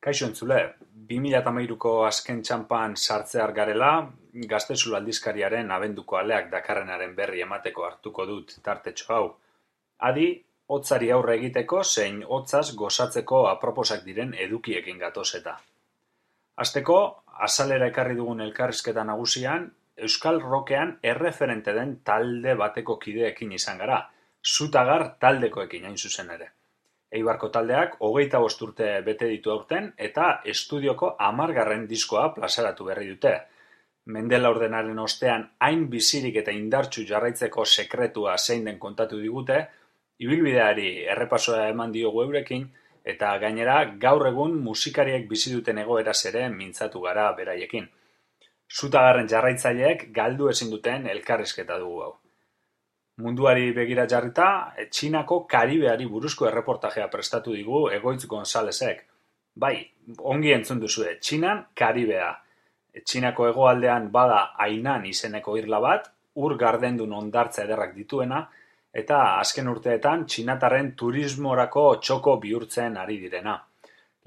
Kaixo entzule, 2013ko azken txanpan sartzear garela, Gaztezulo aldizkariaren abenduko aleak dakarrenaren berri emateko hartuko dut tartetxo hau. Adi, hotzari aurre egiteko zein hotzaz gozatzeko aproposak diren edukiekin gatoz eta. Hasteko, azalera ekarri dugun elkarrizketa nagusian, Euskal Rockean erreferente den talde bateko kideekin izan gara, Zutagar taldekoekin hain zuzen ere. Eibarko taldeak 25 urte bete ditu aurten eta estudioko 10. diskoa plazaratu berri dute. Mende laurdenaren ostean hain bizirik eta indartsu jarraitzeko sekretua zein den kontatu digute, ibilbideari errepasoa eman diogu eurekin, eta gainera gaur egun musikariek bizi duten egoeraz ere mintzatu gara beraiekin. Zutagarren jarraitzaileek galdu ezin duten elkarrizketa dugu hau. Munduari begira jarrita, Txinako Karibeari buruzko erreportajea prestatu digu Egoitz Gonzalezek. Bai, ongi entzun duzue, Txinan Karibea. Txinako hegoaldean bada Hainan izeneko irla bat, ur gardendun hondartza ederrak dituena, eta azken urteetan txinatarren turismorako txoko bihurtzen ari direna.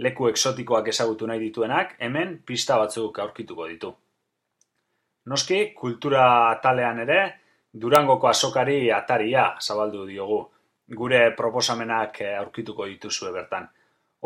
Leku exotikoak ezagutu nahi dituenak, hemen pista batzuk aurkituko ditu. Noski, kultura atalean ere, Durangoko azokari ataria zabaldu diogu. Gure proposamenak aurkituko dituzue bertan.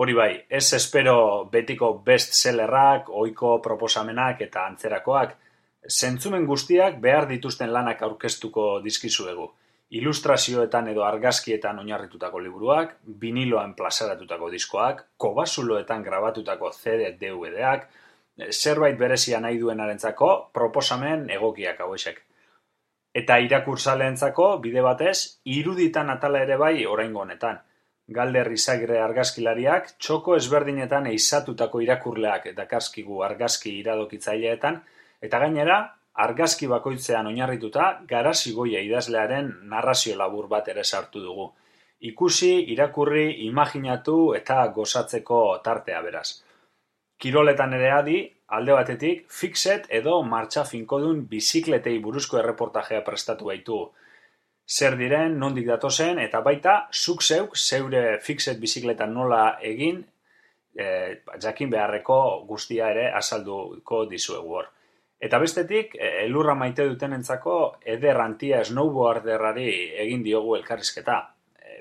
Hori bai, ez espero betiko bestsellerrak, ohiko proposamenak eta antzerakoak. Zentzumen guztiak behar dituzten lanak aurkeztuko dizkizuegu. Ilustrazioetan edo argazkietan oinarritutako liburuak, biniloan plazaratutako diskoak, kobazuloetan grabatutako CD DVD-ak, zerbait berezia nahi duenarentzako proposamen egokiak hauexek. Eta irakurtzaleentzako bide batez, iruditan atala ere bai oraingo honetan. Galder Izagirre argazkilariak txoko ezberdinetan eizatutako irakurleak dakarskigu argazki iradokitzaileetan, eta gainera, argazki bakoitzean oinarrituta Garazi Goia idazlearen narrazio labur bat ere sartu dugu. Ikusi, irakurri, imaginatu eta gozatzeko tartea beraz. Kiroletan ere adi, alde batetik, fixet edo martxa finkodun bizikletei buruzko erreportajea prestatu baitu. Zer diren, nondik datozen, eta baita, zuk zeuk, zeure fixet bizikletan nola egin, jakin beharreko guztia ere azalduko dizuegu hor. Eta bestetik, elurra maite dutenentzako eder antia snowboarderrari egin diogu elkarrizketa.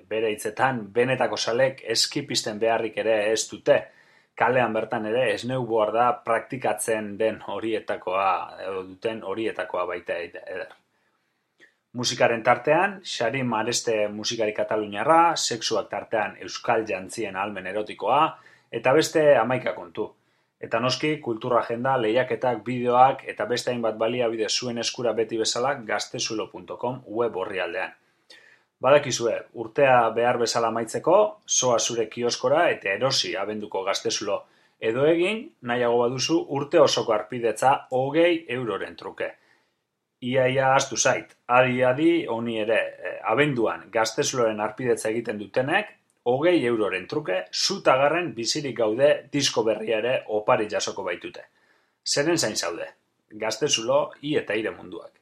Bere hitzetan, benetako zalek eskipisten beharrik ere ez dute. Kalean bertan ere snowboarda praktikatzen den horietakoa, edo duten horietakoa baita eder. Musikaren tartean, Xarin Mareste musikari kataluniarra, sexuak tartean euskal jantzien ahalmen erotikoa, eta beste 11 kontu. Eta noski, kultura agenda, lehiaketak, bideoak, eta beste hainbat baliabide zuen eskura beti bezala gaztezulo.com web orrialdean. Badakizue, urtea behar bezala amaitzeko, zoa zure kioskora eta erosi abenduko Gaztezulo. Edo egin, nahiago baduzu, urte osoko arpidetza 20 euroren truke. Iaia ahaztu zait, adi honi ere, abenduan Gaztezuloren arpidetza egiten dutenek, 20 euroren truke, Zutagarren bizirik gaude disko berria ere opari jasoko baitute. Zeren zain zaude, Gaztezulo, i eta ire munduak.